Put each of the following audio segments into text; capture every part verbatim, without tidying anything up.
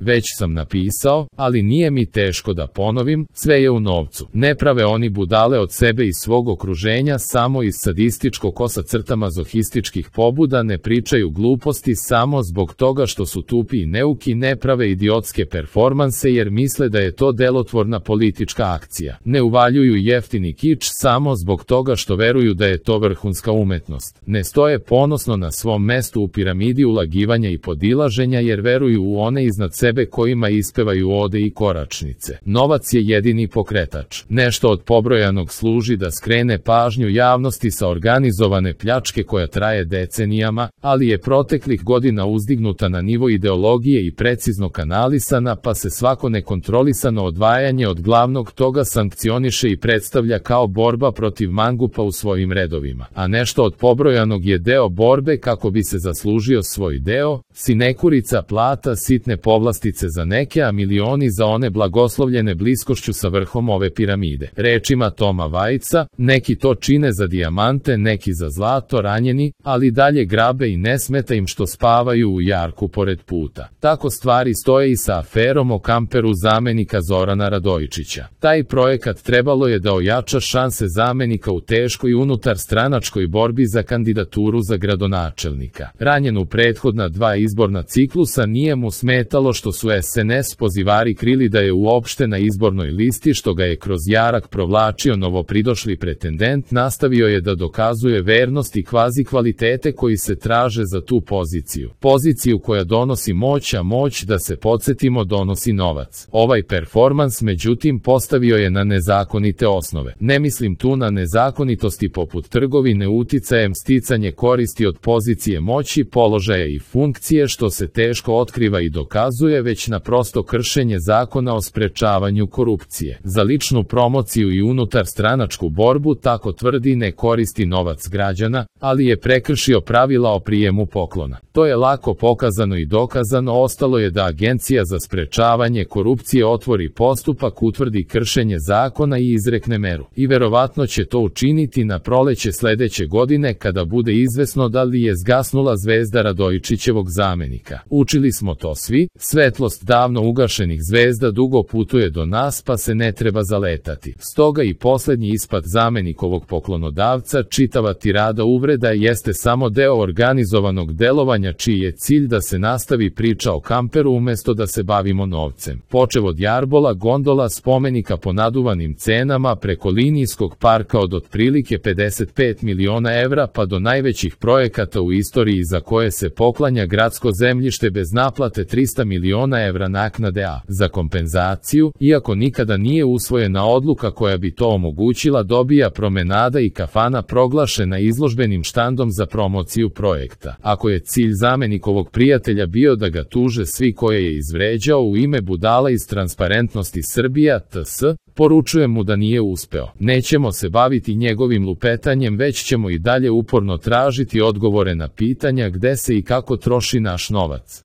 Već sam napisao, ali nije mi teško da ponovim, sve je u novcu. Ne prave oni budale od sebe i svog okruženja samo iz sadističko kosa crta mazohističkih pobuda, ne pričaju gluposti samo zbog toga što su tupi i neuki, ne prave idiotske performanse jer misle da je to delotvorna politička akcija. Ne uvaljuju jeftini kič samo zbog toga što veruju da je to vrhunska umetnost. Ne stoje ponosno na svom mestu u piramidi ulagivanja i podilaženja jer veruju u one iznad sebe kojima ispevaju ode i koračnice. Novac je jedini pokretač. Nešto od pobrojanog služi da skrene pažnju javnosti sa organizovane pljačke koja traje decenijama, ali je proteklih godina uzdignuta na nivo ideologije i precizno kanalisana, pa se svako nekontrolisano odvajanje od glavnog toga sankcioniše i predstavlja kao borba protiv mangupa u svojim redovima. A nešto od pobrojanog je deo borbe kako bi se zaslužio svoj deo, sinekurica plata, sitne povlastice za neke, a milioni za one blagoslovljene bliskošću sa vrhom ove piramide. Rečima Toma Vajca, neki to čine za dijamante, neki za zlato, ranjeni, ali dalje grabe i ne smeta im što spavaju u jarku pored puta. Tako stvari stoje i sa aferom o kamperu zamenika Zorana Radojičića. Taj projekat trebalo je da ojača šanse zamenika u teškoj unutar stranačkoj borbi za kandidaturu za gradonačelnika. Ranjen u prethodna dva izborna ciklusa, nije mu smetalo što su es en es pozivari krili da je uopšte na izbornoj listi, što ga je kroz jarak provlačio novopridošli pretendent. Nastavio je da dokazuje vernost i kvazi kvalitete koji se traže za tu poziciju. Poziciju koja donosi moć, a moć, da se podsjetimo, donosi novac. Ovaj performans međutim postavio je na nezakonite osnove. Ne mislim tu na nezakonitosti poput trgovine uticajem, sticanje koristi od pozicije moći, položaja i funkcije, što se teško otkriva i dokazuje, već na prosto kršenje zakona o sprečavanju korupcije. Za ličnu promociju i unutar stranačku borbu, tako tvrdi, ne koristi novac građana, ali je prekršio pravila o prijemu poklona. To je lako pokazano i dokazano, ostalo je da Agencija za sprečavanje korupcije otvori postupak, utvrdi kršenje zakona i izrekne meru. I verovatno će to učiniti na proleće sledeće godine kada bude izvesno da li je zgasnula zvezda Radojičićevog zamenika. Učili smo to svi, svetlost davno ugašenih zvezda dugo putuje do nas, pa se ne treba zaletati. Stoga i poslednji ispad zamenikovog poklonodavca, čitava tirada uvreda, jeste samo deo organizovanog delovanja čiji je cilj da se nastavi priča o kamperu umesto da se bavimo novcem. Počev od jarbola, gondola, spomenika po naduvanim cenama, preko linijskog parka od otprilike pedeset pet miliona evra pa do najvećih projekata u istoriji za koje se poklanja gradsko zemljište bez naplate trista miliona evra naknade, a za kompenzaciju, iako nikada nije usvojena odluka koja bi to omogućila, dobija promenada i kafana proglašena izložbenim štandom za promociju projekta. Ako je cilj zamenikovog prijatelja bio da ga tuže svi koje je izvređao u ime budala iz Transparentnosti Srbija et es, poručujem mu da nije uspeo. Nećemo se baviti njegovim lupetanjem, već ćemo i dalje uporno tražiti odgovore na pitanja gde se i kako troši naš novac.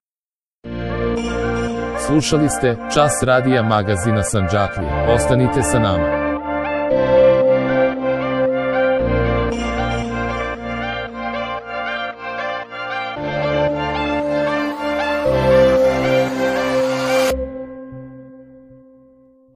Slušali ste Čas radija magazina Sandžaklija. Ostanite sa nama.